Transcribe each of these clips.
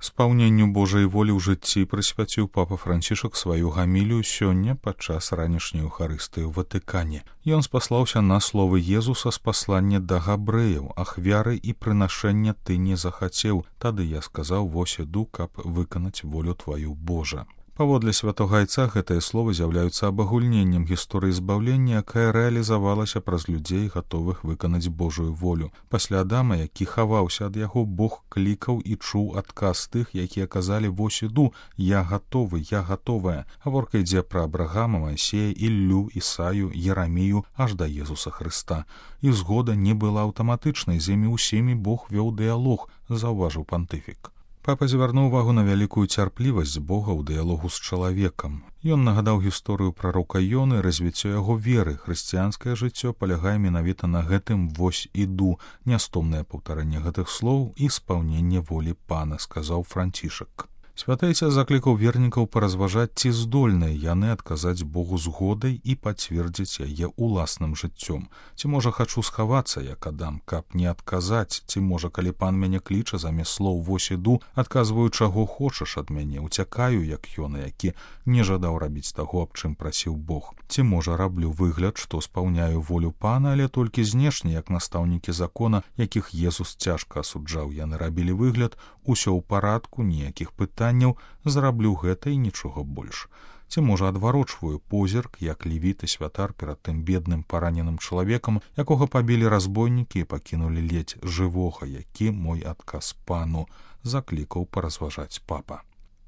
Спаўненню Божай волі ў жыцці прысвяціў папа Францішак сваю гамілію сёння падчас ранішняй Еўхарыстыі ў Ватыкане. Ён спаслаўся на словы Езуса з паслання да габрэяў: «Ахвяры і прынашэння ты не захацеў, тады я сказаў, вось іду, каб выканаць волю тваю, Божа». Паводле святога айца гэтыя словы з'яўляюцца абагульненнем гісторыі збаўлення, якая рэалізавалася праз людзей, гатовых выканаць Божую волю. Пасля Адама, які хаваўся ад яго, Бог клікаў і чуў адказ тых, якія казалі: «Вось іду, я гатовы, я гатовая». Гаворка ідзе пра Абрагама, Маісея, Іллю, Ісаю, Ерамію, аж да Езуса Хрыста. І згода не была аўтаматычнай, з імі ўсімі Бог вёў дыялог, заўважыў пантыфік. Папа звярнуў увагу на вялікую цярплівасць Бога ў дыялогу з чалавекам. Ён нагадаў гісторыю прарока Ёны, развіццё яго веры. Хрысціянскае жыццё палягае менавіта на гэтым «вось іду», нястомнае паўтарэнне гэтых слоў і спаўненне волі Пана, сказаў Францішак. Святы Айцец заклікаў вернікаў паразважаць, ці здольныя яны адказаць Богу згодай і пацвердзіць яе уласным жыццём. Ці можа хачу схавацца, як Адам, каб не адказаць, ці можа, калі Пан мяне кліча, замест слоў «вось іду», адказваю: «Чаго хочаш ад мяне», уцякаю, як Ёна, які не жадаў рабіць таго, аб чым прасіў Бог. Ці можа, раблю выгляд, што спаўняю волю Пана, але толькі знешне, як настаўнікі закона, якіх Езус цяжка асуджаў. Яны рабілі выгляд: усё ў парадку, ніякіх пытанняў, зраблю гэта і нічога больш. Ці можа, адварочваю позірк, як левіт і святар перад тым бедным параненым чалавекам, якога пабілі разбойнікі і пакінулі ледзь жывога, які мой адказ Пану, заклікаў паразважаць папа.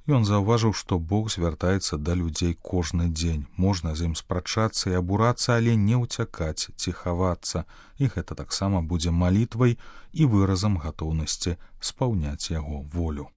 Ён заўважыў, што Бог звяртаецца да людзей кожны дзень. Можна з ім спрачацца і абурацца, але не ўцякаць ці хавацца. І гэта таксама будзе малітвай і выразам гатоўнасці спаўняць яго волю.